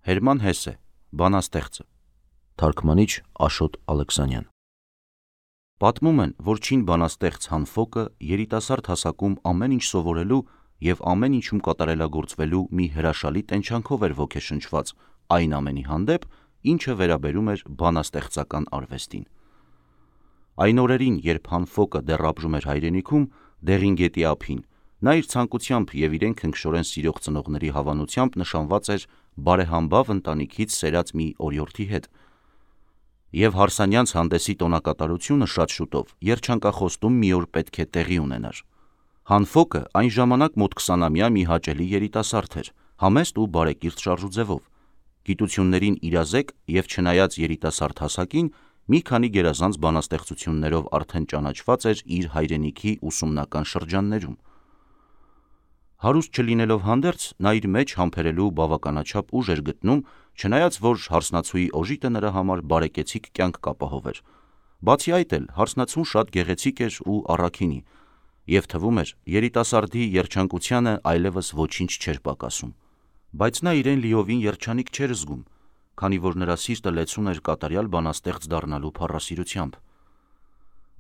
Հերման Հեսե, բանաստեղծը։ Թարգմանիչ Աշոտ Ալեքսանյան։ Պատմում են, որ չին բանաստեղծ Հանֆոկը երիտասարդ հասակում ամեն ինչ սովորելու և ամեն ինչում կատարելագործվելու մի հրաշալի տենչանքով էր ոգեշնչված այն ամենի հանդեպ, ինչը վերաբերում էր բանաստեղծական արվեստին։ Այն օրերին, երբ Հանֆոկը դեռ ապրում էր հայրենիքում, Դեղին գետի ափին, նա իր ցանկությամբ և իրեն քնքշորեն սիրող ծնողների հավանությամբ նշանված էր բարեհամբավ ընտանիքից սերած մի օրիորդի հետ, և հարսանյանց հանդեսի տոնակատարությունը շատ շուտով երջանկախոստում մի օր պետք է տեղի ունենար։ Հանֆոկը այն ժամանակ մոտ 20-ամյա մի հաճելի երիտասարդ էր, համեստ ու բարեկիրթ շարժուձևով, գիտություններին իրազեկ և չնայած երիտասարդ հասակին, մի քանի գերազանց բանաստեղծություններով արդեն ճանաչված էր իր հայրենիքի ուսումնական շրջաններում։ Հարուստ չլինելով հանդերձ, նա իր մեջ համբերելու բավականաչափ ուժ էր գտնում, չնայած որ հարսնացուի օժիտը նրա համար բարեկեցիկ կյանք կապահովեր։ Բացի այդ էլ, հարսնացուն շատ գեղեցիկ էր ու առաքինի, և թվում էր երիտասարդի երջանկությանը այլևս ոչինչ չէր պակասում։ Բայց նա իրեն լիովին երջանիկ չէր զգում, քանի որ նրա սիրտը լեցուն էր կատարյալ բանաստեղծ դառնալու փառասիրությամբ։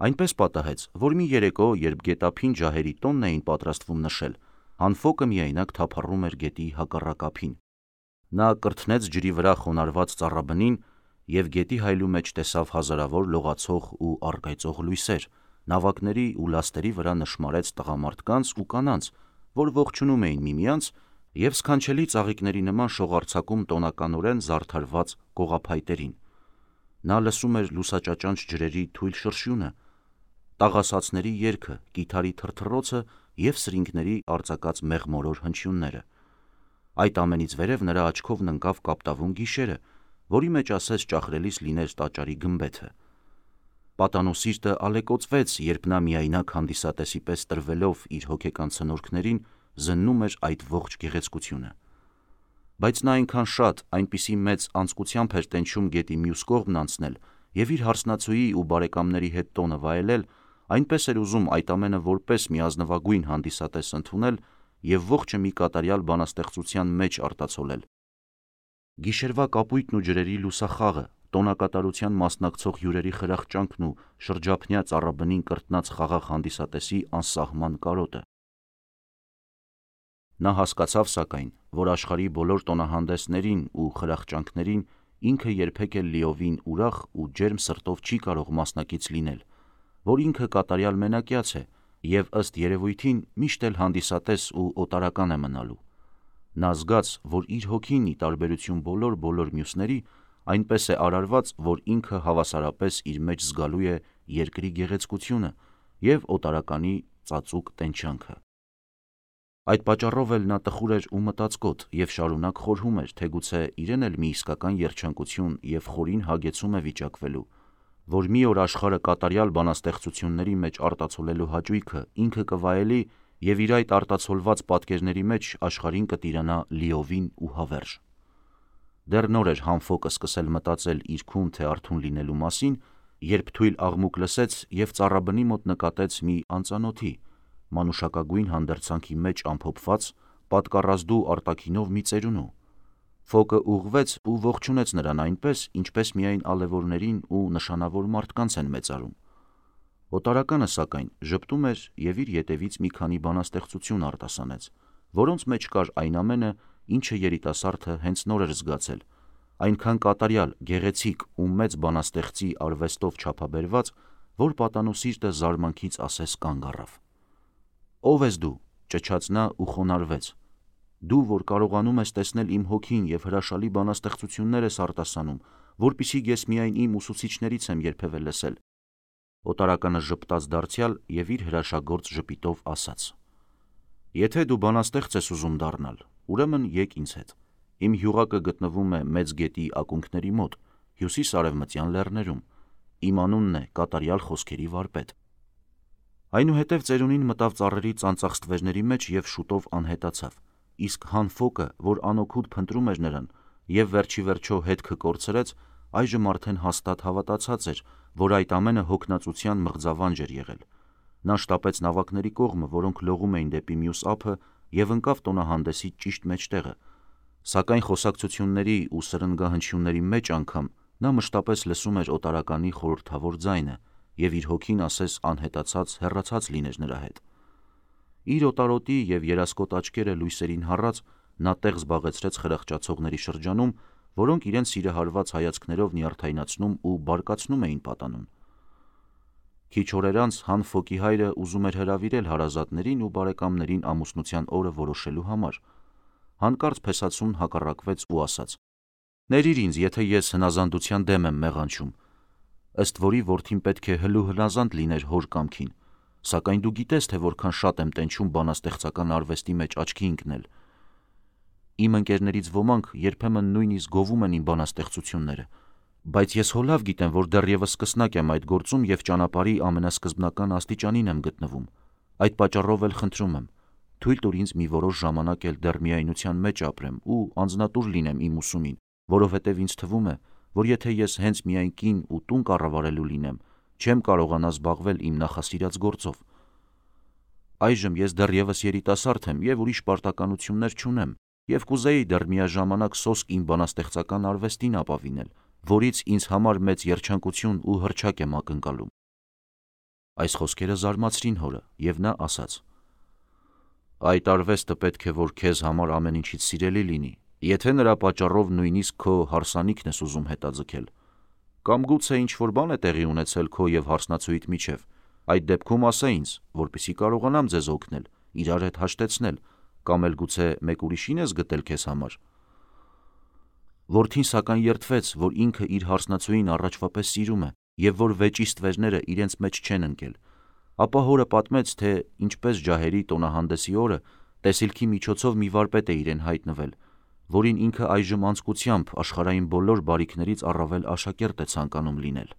Այնպես պատահեց, որ մի երեկո, երբ գետափին ջահերի տոնն էին պատրաստվում նշել, Հանֆոկը միայնակ թափառում էր գետի հակառակ ափին։ Նա կրթնեց ջրի վրա խոնարհված ծառաբնին և գետի հայելու մեջ տեսավ հազարավոր լողացող ու առկայծող լույսեր, նավակների ու լաստերի վրա նշմարեց տղամարդկանց ու կանանց, որ ողջունում էին միմյանց և սքանչելի ծաղիկների նման շողարձակում տոնականորեն զարդարված կողափայտերին։ Նա լսում էր լուսաճաճանչ ջրերի թույլ շրշյունը, տաղասացների երգը, կիթառի թրթռոցը և սրինգների արձակած մեղմորոր հնչյունները։ Այդ ամենից վերև նրա աչքով ընկավ կապտավուն գիշերը, որի մեջ ասես ճախրելիս լիներ տաճարի գմբեթը։ Պատանու սիրտը ալեկոծվեց, երբ նա միայնակ հանդիսատեսի պես տրվելով իր հոգեկան ցնորքներին զննում էր այդ ողջ գեղեցկությունը։ Բայց նա այնքան շատ, այնպիսի մեծ անձկությամբ էր տենչում գետի մյուս կողմն անցնել և իր հարսնացուի ու բարեկամների հետ տոնը վայելել, այնպես էր ուզում այդ ամենը որպես մի ազնվագույն հանդիսատես ընդունել և ողջը մի կատարյալ բանաստեղծության մեջ արտացոլել։ Գիշերվա կապույտն ու ջրերի լուսախաղը, տոնակատարության մասնակցող հյուրերի խրախճանքն ու շրջափնյա ծառաբնին կրտնած խաղաղ հանդիսատեսի անսահման կարոտը։ Նա հասկացավ, սակայն, որ աշխարհի բոլոր տոնահանդեսներին ու խրախճանքներին ինքը երբեք էլ լիովին ուրախ ու ջերմ սրտով չի կարող մասնակից լինել, որ ինքը կատարյալ մենակյաց է և ըստ երևույթին միշտ էլ հանդիսատես ու օտարական է մնալու։ Նա զգաց, որ իր հոգին, ի տարբերություն բոլոր մյուսների, այնպես է արարված, որ ինքը հավասարապես իր մեջ զգալու է երկրի գեղեցկությունը և օտարականի ծածուկ տենչանքը։ Այդ պատճառով էլ նա տխուր էր ու մտածկոտ և շարունակ խորհում էր, թե գուցե իրեն էլ մի իսկական երջանկություն և խորին հագեցում է վիճակվելու, որ մի օր աշխարհը կատարյալ բանաստեղծությունների մեջ արտացոլելու հաճույքը ինքը կվայելի և իր այդ արտացոլված պատկերների մեջ աշխարհին կտիրանա լիովին ու հավերժ։ Դեռ նոր էր Հանֆոկը սկսել մտածել իր քուն թե արթուն լինելու մասին, երբ թույլ աղմուկ լսեց և ծառաբնի մոտ նկատեց մի անծանոթի, մանուշակագույն հանդերձանքի մեջ ամփոփված, պատկառազդու արտաքինով մի ծերունու։ Ֆոկը ուղղվեց ու ողջունեց նրան այնպես, ինչպես միայն ալևորներին ու նշանավոր մարդկանց են մեծարում։ Օտարականը, սակայն, ժպտում էր և իր ետևից մի քանի բանաստեղծություն արտասանեց, որոնց մեջ կար այն ամենը, ինչը երիտասարդը հենց նոր էր զգացել, այնքան կատարյալ, գեղեցիկ ու մեծ բանաստեղծի արվեստով չափաբերված, որ պատանու սիրտը զարմանքից ասես կանգ առավ։ «Ո՞վ ես դու», ճչաց նա ու խոնարհվեց։ «Դու, որ կարողանում ես տեսնել իմ հոգին և հրաշալի բանաստեղծություններ ես արտասանում, որպեսզի ես միայն իմ ուսուցիչներից եմ երբևէ լսել»։ Օտարականը ժպտաց դարձյալ և իր հրաշագործ ժպիտով ասաց. «Եթե դու բանաստեղծ ես ուզում դառնալ, ուրեմն եկ ինձ հետ։ Իմ հյուղակը գտնվում է Մեծ գետի ակունքների մոտ, հյուսիս-արևմտյան լեռներում։ Իմ անունն է կատարյալ խոսքերի վարպետ»։ Այնուհետև ծերունին մտավ ծառերի ծանծաղ ստվերների մեջ և շուտով անհետացավ, իսկ Հանֆոկը, որ անօգուտ փնտրում էր նրան և վերջիվերջո հետքը կորցրեց, այժմ արդեն հաստատ հավատացած էր, որ այդ ամենը հոգնածության մղձավանջ էր եղել։ Նա շտապեց նավակների կողմը, որոնք լողում էին դեպի մյուս ափը, և ընկավ տոնահանդեսի ճիշտ մեջտեղը։ Սակայն խոսակցությունների ու սրնգահնչյունների մեջ անգամ նա մշտապես լսում էր օտարականի խորհրդավոր ձայնը և իր հոգին ասես անհետացած հեռացած լիներ նրա հետ։ Իր օտարոտի և երասկոտ աչքերը լույսերին հառած նա տեղ զբաղեցրեց խրախճացողների շրջանում, որոնք իրենց սիրահարված հայացքներով նյարդայնացնում ու բարկացնում էին պատանուն։ Քիչ օրեր անց Հանֆոկի հայրը ուզում էր հրավիրել հարազատներին ու բարեկամներին ամուսնության օրը որոշելու համար։ Հանկարծ փեսացուն հակառակվեց ու ասաց. «Ներիր ինձ, եթե ես հնազանդության դեմ եմ մեղանչում, ըստ որի որդին պետք է հլու հնազանդ լիներ հոր կամքին, սակայն դու գիտես, թե որքան շատ եմ տենչում բանաստեղծական արվեստի մեջ աչքի ընկնել։ Իմ ընկերներից ոմանք երբեմն նույնիսկ գովում են իմ բանաստեղծությունները, բայց ես հո լավ գիտեմ, որ դեռևս սկսնակ եմ այդ գործում և ճանապարհի ամենասկզբնական աստիճանին եմ գտնվում։ Այդ պատճառով էլ խնդրում եմ, թույլ տուր ինձ մի որոշ ժամանակ էլ դեռ միայնության մեջ ապրեմ ու անձնատուր լինեմ իմ ուսումին, որովհետև ինձ թվում է, որ եթե ես հենց միայն կին ու տուն կառավարելու լինեմ, չեմ կարողանա զբաղվել իմ նախասիրած գործով։ Այժմ ես դեռևս երիտասարդ եմ և ուրիշ պարտականություններ չունեմ և կուզեի դեռ միաժամանակ սոսկ իմ բանաստեղծական արվեստին ապավինել, որից ինձ համար մեծ երջանկություն ու հռչակ եմ ակնկալում»։ Այս խոսքերը զարմացրին հորը, և նա ասաց. «Այդ արվեստը պետք է որ քեզ համար ամեն ինչից սիրելի լինի, եթե նրա պատճառով նույնիսկ քո հարսանիքն ես ուզում հետաձգել։ Կամ գուցե ինչ-որ բան է տեղի ունեցել քո և հարսնացուիդ միջև, այդ դեպքում ասա ինձ, որպեսզի կարողանամ ձեզ օգնել, իրար հետ հաշտեցնել, կամ էլ գուցե մեկ ուրիշին ես գտել քեզ համար»։ Որդին սակայն երդվեց, որ ինքը իր հարսնացուին առաջվա պես սիրում է և որ վեճի ստվերները իրենց մեջ չեն ընկել, ապա հորը պատմեց, թե ինչպես ջահերի տոնահանդեսի օրը տեսիլքի միջոցով մի վարպետ է իրեն հայտնվել, որին ինքը այժմ անձկությամբ աշխարհային բոլոր բարիքներից առավել աշակերտ է ցանկանում լինել։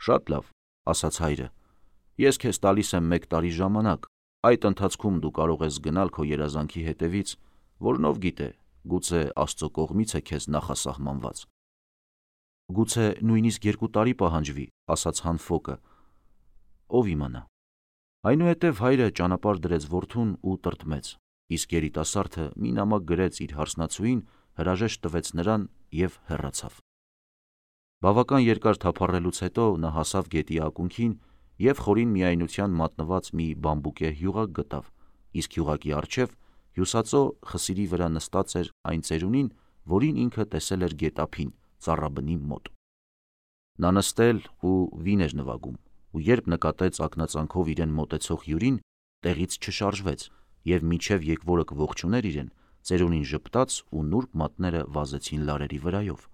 «Շատ լավ», ասաց հայրը, «ես քեզ տալիս եմ 1 տարի ժամանակ, այդ ընթացքում դու կարող ես գնալ քո երազանքի հետևից, որն ով գիտե, գուցե Աստծո կողմից է քեզ նախասահմանված»։ «Գուցե նույնիսկ 2 տարի պահանջվի», ասաց Հանֆոկը, ով իմանա։ Այնուհետև հայրը ճանապարհ դրեց որդուն ու տրտմեց, իսկ երիտասարդը մի նամակ գրեց իր հարսնացուին, հրաժեշտ տվեց նրան և հեռացավ։ Բավական երկար թափառելուց հետո նա հասավ գետի ակունքին և խորին միայնության մատնված մի բամբուկե հյուղակ գտավ, իսկ հյուղակի առջև հյուսածո խսիրի վրա նստած էր այն ծերունին, որին ինքը տեսել էր գետափին ծառաբնի մոտ։ Նա նստել ու վին էր նվագում, ու երբ նկատեց ակնածանքով իրեն մոտեցող հյուրին, տեղից չշարժվեց և մինչև եկվորը կողջուներ իրեն, ծերունին ժպտաց ու նուրբ մատները վազեցին լարերի վրայով։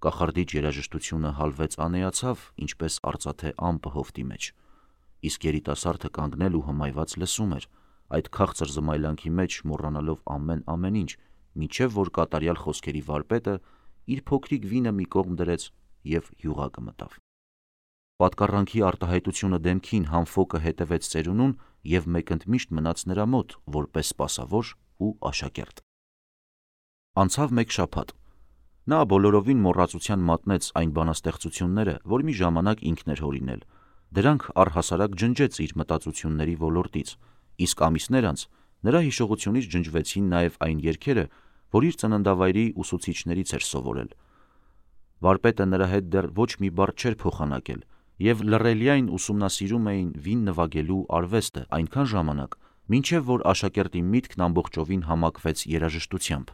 Կախարդիչ երաժշտությունը հալվեց անեացավ, ինչպես արծաթե ամպը հովտի մեջ, իսկ երիտասարդը կանգնել ու հմայված լսում էր, այդ քաղցր զմայլանքի մեջ մոռանալով ամեն ինչ, մինչև որ կատարյալ խոսքերի վարպետը իր փոքրիկ վինը մի կողմ դրեց և հյուղակը մտավ։ Պատկառանքի արտահայտությունը դեմքին Հանֆոկը հետևեց ծերունուն և մեկընդմիշտ մնաց նրա մոտ, որպես սպասավոր ու աշակերտ։ Անցավ 1 շաբաթ։ Նա բոլորովին մոռացության մատնեց այն բանաստեղծությունները, որ մի ժամանակ ինքն էր հորինել, դրանք առհասարակ ջնջեց իր մտածությունների ոլորտից, իսկ ամիսներ անց նրա հիշողությունից ջնջվեցին նաև այն երգերը, որ իր ծննդավայրի ուսուցիչներից էր սովորել։ Վարպետը նրա հետ դեռ ոչ մի բառ չէր փոխանակել և լռելիայն ուսումնասիրում էին վին նվագելու արվեստը այնքան ժամանակ, մինչև որ աշակերտի միտքն ամբողջովին համակվեց երաժշտությամբ։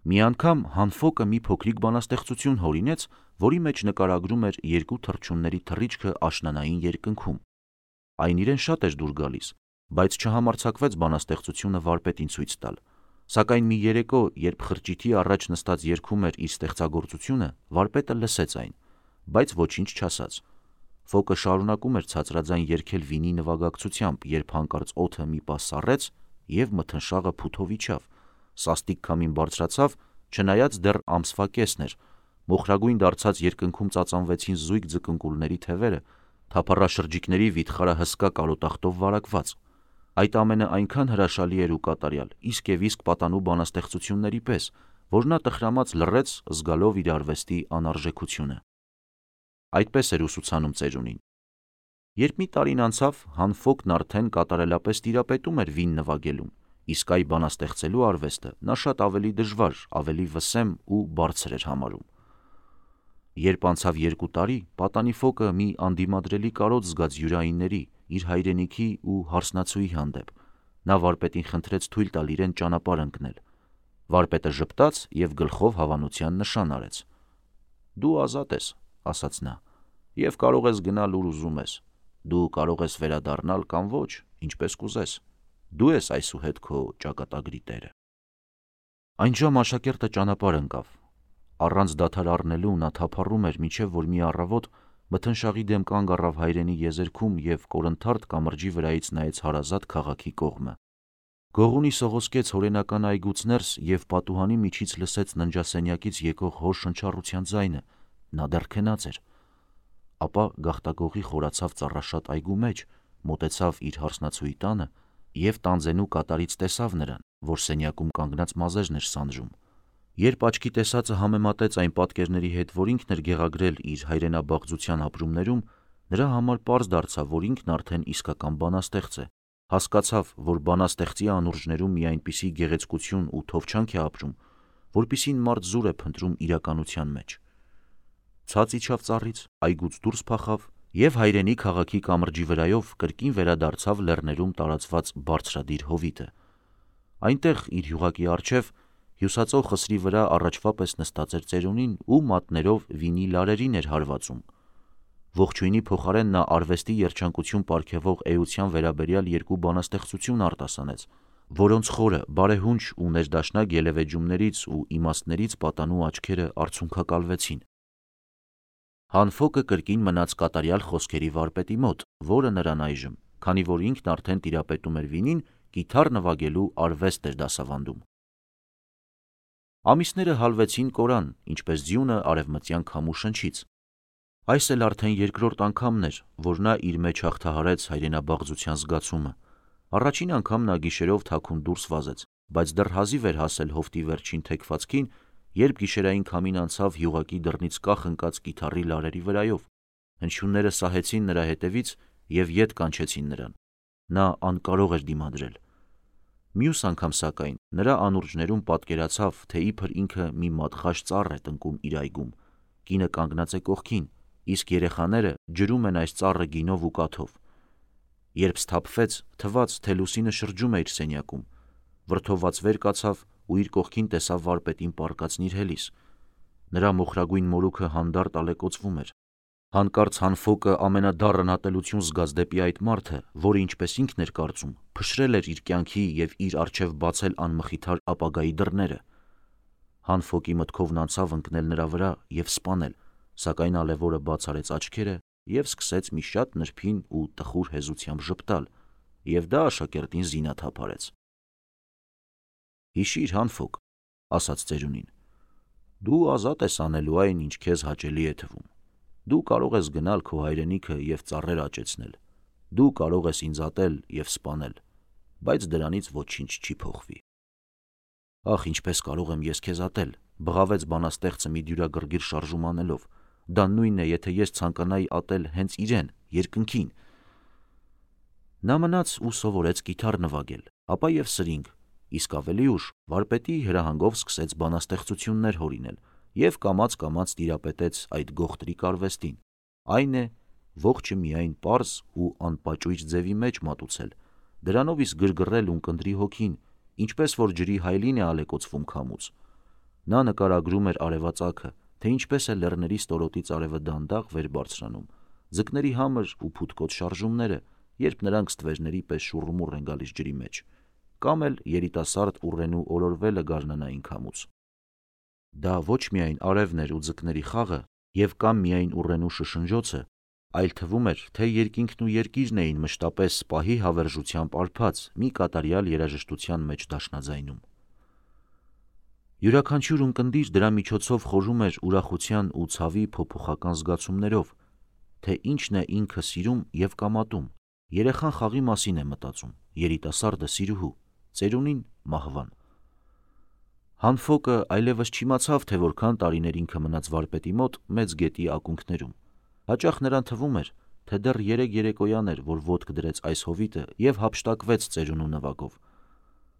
Մի անգամ Հանֆոկը մի փոքրիկ բանաստեղծություն հորինեց, որի մեջ նկարագրում էր 2 թռչունների թռիչքը աշնանային երկնքում։ Այն իրեն շատ էր դուր գալիս, բայց չհամարձակվեց բանաստեղծությունը վարպետին ցույց տալ, սակայն մի երեկո, երբ խրճիթի առաջ նստած երգում էր իր ստեղծագործությունը, վարպետը լսեց այն, բայց ոչինչ չասաց։ Ֆոկը շարունակում էր ցածրաձայն երգել վինի նվագակցությամբ, երբ հանկարծ օդը մի պահ սառեց և մթնշաղը փութով իջավ, սաստիկ քամին բարձրացավ, չնայած դեռ ամսվա կեսն էր, մոխրագույն դարձած երկնքում ծածանվեցին զույգ ձկնկուլների թևերը, թափառաշրջիկների վիթխարը հսկա կարոտախտով վարակված։ Այդ ամենը այնքան հրաշալի էր ու կատարյալ, իսկ և իսկ պատանու բանաստեղծությունների պես, որ նա տխրամաց լռեց, զգալով իր արվեստի անարժեքությունը։ Այդպես էր ուսուցանում ծերունին։ Երբ մի տարին անցավ, Հանֆոկն արդեն կատարելապես տիրապետում էր վին նվագելուն իսկ այ բանաստեղծելու արվեստը նա շատ ավելի դժվար, ավելի վսեմ ու բարձր էր համարում։ Երբ անցավ 2 տարի, պատանի Ֆոկը մի անդիմադրելի կարոտ զգաց յուրայինների, իր հայրենիքի ու հարսնացուի հանդեպ։ Նա վարպետին խնդրեց թույլ տալ իրեն ճանապարհ ընկնել։ Վարպետը ժպտաց և գլխով հավանության նշան արեց։ «Դու ազատ ես», ասաց նա, «և կարող ես գնալ ուր ուզում ես։ Դու կարող ես վերադառնալ կամ ոչ, ինչպես կուզես։ Դու ես այսուհետ քո ճակատագրի տերը»։ Այնժամ աշակերտը ճանապարհ ընկավ։ Առանց դադար առնելու նա թափառում էր, մինչև որ մի առավոտ մթնշաղի դեմ կանգ առավ հայրենի եզերքում և կորնթարթ կամրջի վրայից նայեց հարազատ քաղաքի կողմը։ Գողունի սողոսկեց հորենական այգուց ներս և պատուհանի միջից լսեց ննջասենյակից եկող հոր շնչառության ձայնը։ Նա դեռ քնած էր։ Ապա գաղտագողի խորացավ ծառաշատ այգու մեջ, մոտեցավ իր հարսնացուի տանը և տանձենու կատարից տեսավ նրան, որ սենյակում կանգնած մազերն էր սանձում։ Երբ աչքի տեսածը համեմատեց այն պատկերների հետ, որ ինքն էր գեղագրել իր հայրենաբաղձության ապրումներում, նրա համար պարզ դարձավ, որ ինքն արդեն իսկական բանաստեղծ է։ Հասկացավ, որ բանաստեղծի անուրջներում մի այնպիսի գեղեցկություն ու թովչանք է ապրում, որպիսին մարդ զուր է փնտրում իրականության մեջ։ Ցած իջավ ծառից, այգուց դուրս փախավ և հայրենի քաղաքի կամրջի վրայով կրկին վերադարձավ լեռներում տարածված բարձրադիր հովիտը։ Այնտեղ իր յուղակի առջև հյուսածո խսրի վրա առաջվա պես նստած էր ծերունին ու մատներով վինի լարերին էր հարվածում։ Ողջույնի փոխարեն նա արվեստի երջանկություն պարգևող էության վերաբերյալ 2 բանաստեղծություն արտասանեց, որոնց խորը, բարեհունչ ու ներդաշնակ ելևէջումներից ու իմաստներից պատանու աչքերը արցունքակալվեցին։ Հան Ֆոկը կրկին մնաց կատարյալ խոսքերի վարպետի մոտ, որը նրան այժմ, քանի որ ինքն արդեն տիրապետում էր վինին, կիթառ նվագելու արվեստ էր դասավանդում։ Ամիսները հալվեցին կորան, ինչպես ձյունը արևմտյան քամու շնչից։ Այս էլ արդեն երկրորդ անգամն էր, որ նա իր մեջ հաղթահարեց հայրենաբաղձության զգացումը։ Առաջին անգամ նա գիշերով թաքուն դուրս վազեց, բայց դեռ հազիվ էր հասել հովտի վերջին թեքվածքին, երբ գիշերային քամին անցավ յուղակի դռնից կախ ընկած կիթառի լարերի վրայով։ Հնչյունները սահեցին նրա հետևից և ետ կանչեցին նրան։ Նա անկարող էր դիմադրել։ Մյուս անգամ, սակայն, նրա անուրջներում պատկերացավ, թե իբր ինքը մի մատղաշ ծառ է տնկում իր այգում, կինը կանգնած է կողքին, իսկ երեխաները ջրում են այս ծառը գինով ու կաթով։ Երբ սթափվեց, թվաց, թե լուսինը շրջում է իր սենյակում։ Վրդովված վեր կացավ ու իր կողքին տեսավ վարպետին պառկած նիրհելիս։ Նրա մոխրագույն մորուքը հանդարտ ալեկոծվում էր։ Հանկարծ Հան Ֆոկը ամենադառն ատելություն զգաց դեպի այդ մարդը, որը, ինչպես ինքն էր կարծում, փշրել էր իր կյանքի և իր առջև բացել անմխիթար ապագայի դռները։ Հան Ֆոկի մտքովն անցավ ընկնել նրա վրա և սպանել, սակայն ալեվորը բաց արեց աչքերը և սկսեց մի շատ նրբին ու տխուր հեզությամբ ժպտալ, և դա աշակերտին զինաթափ արեց։ «Հիշիր, Հան Ֆոկ», ասաց ծերունին, «դու ազատ ես անելու այն, ինչ քեզ հաճելի է թվում։ Դու կարող ես գնալ քո հայրենիքը և ծառեր աճեցնել։ Դու կարող ես ինձ ատել և սպանել, բայց դրանից ոչինչ չի փոխվի»։ «Ախ, ինչպես կարող եմ ես քեզ ատել», բղավեց բանաստեղծը մի դյուրագրգիռ շարժում անելով։ «Դա նույնն է, եթե ես ցանկանայի ատել հենց իրեն, երկնքին»։ Նա մնաց ու սովորեց կիթառ նվագել, ապա և սրինգ, իսկ ավելի ուշ վարպետի հրահանգով սկսեց բանաստեղծություններ հորինել և կամաց-կամաց տիրապետեց այդ գողտրիկ արվեստին, այն է, ողջը միայն պարզ ու անպաճույճ ձևի մեջ մատուցել, դրանով իսկ գրգռել ունկնդրի հոգին, ինչպես որ ջրի հայելին է ալեկոծվում քամուց։ Նա նկարագրում էր արևածագը, թե ինչպես է լեռների ստորոտից արևը դանդաղ վեր բարձրանում, ձկների համր ու փութկոտ շարժումները, երբ նրանք ստվերների պես շուռումուռ են գալիս ջրի մեջ, կամ էլ երիտասարդ ուռենու օրորվելը գարնանային քամուց։ Դա ոչ միայն արևն էր ու ձկների խաղը և կամ միայն ուռենու շշնջոցը, այլ թվում էր, թե երկինքն ու երկիրն էին մշտապես պահի հավերժությամբ արբած մի կատարյալ երաժշտության մեջ դաշնաձայնում։ Յուրաքանչյուր ունկնդիր դրա միջոցով խորում էր ուրախության ու ցավի փոփոխական զգացումներով, թե ինչն է ինքը սիրում և կամ ատում։ Երեխան խաղի մասին է մտածում, երիտասարդը սիրուհու, ծերունին մահվան։ Հան Ֆոկը այլևս չիմացավ, թե որքան տարիներ ինքը մնաց վարպետի մոտ Մեծ գետի ակունքներում։ Հաճախ նրան թվում էր, թե դեռ 3 երեկոյան էր, որ ոտք դրեց այս հովիտը և հափշտակվեց ծերունու նվագով։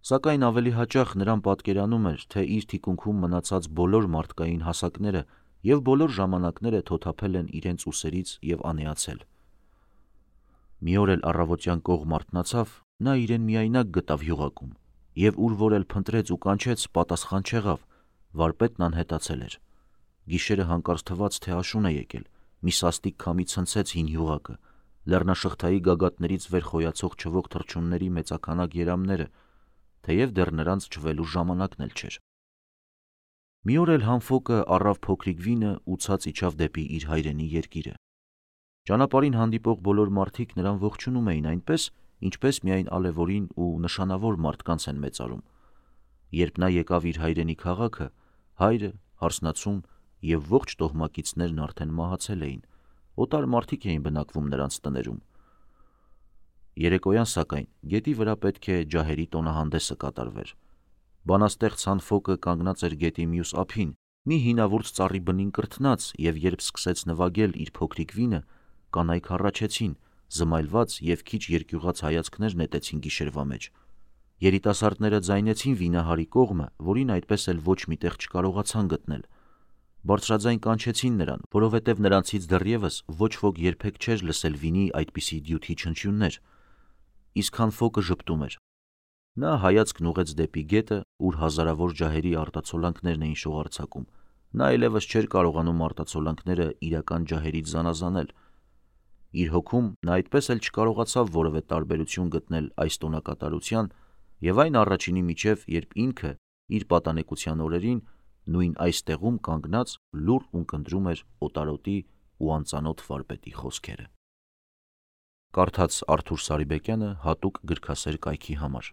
Սակայն ավելի հաճախ նրան պատկերանում էր, թե իր թիկունքում մնացած բոլոր մարդկային հասակները և բոլոր ժամանակները թոթափել են իրենց ուսերից և անեացել։ Մի օր էլ առավոտյան կողմ արթնացավ, նա իրեն միայնակ գտավ յուղակում, և ուր որ էլ փնտրեց ու կանչեց, պատասխան չեղավ, վարպետն անհետացել էր։ Գիշերը հանկարծ թվաց, թե աշուն է եկել, մի սաստիկ քամի ցնցեց հին յուղակը, լեռնաշղթայի գագաթներից վեր խոյացող չվող թռչունների մեծաքանակ երամները, թեև դեռ նրանց չվելու ժամանակն էլ չէր։ Մի օր էլ հանֆոկը առավ փոքրիկ վինը ու ցած իջավ դեպի իր հայրենի երկիրը։ Ճանապարհին հանդիպող բոլոր մարդիկ նրան ողջունում էին այնպես, ինչպես միայն ալևորին ու նշանավոր մարդկանց են մեծարում։ Երբ նա եկավ իր հայրենի քաղաքը, հայրը, հարսնացուն և ողջ տոհմակիցներն արդեն մահացել էին, օտար մարդիկ էին բնակվում նրանց տներում։ Երեկոյան սակայն գետի վրա պետք է ջահերի տոնահանդեսը կատարվեր։ Բանաստեղծ հանֆոկը կանգնած էր գետի մյուս ափին, մի հինավուրց ծառի բնին կրթնած, և երբ սկսեց նվագել իր փոքրիկ վինը, կանայք հառաչեցին, զմայլված և քիչ երկյուղած հայացքներ նետեցին գիշերվա մեջ։ Երիտասարդները ձայնեցին վինահարի կողմը, որին այդպես էլ ոչ մի տեղ չկարողացան գտնել։ Բարձրաձայն կանչեցին նրան, որովհետև նրանցից դեռևս ոչ ոք երբեք չէր լսել վինի այդպիսի դյութի չնչյուններ։ Իսկ հանֆոկը ժպտում էր։ Նա հայացքն ուղղեց դեպի գետը, ուր հազարավոր ջահերի արտացոլանքներն էին շողարցակում։ Նա այլևս չէր կարողանում արտացոլանքները իրական ջահերից զանազանել։ Իր հոգում նա այդպես էլ չկարողացավ որևէ տարբերություն գտնել այս տոնակատարության և այն առաջինի միջև, երբ ինքը իր պատանեկության օրերին նույն այս տեղում կանգնած լուռ ունկնդրում էր օտարոտի ու անծանոթ վարպետի խոսքերը։ Կարդաց Արթուր Սարիբեկյանը հատուկ գրքասեր կայքի համար։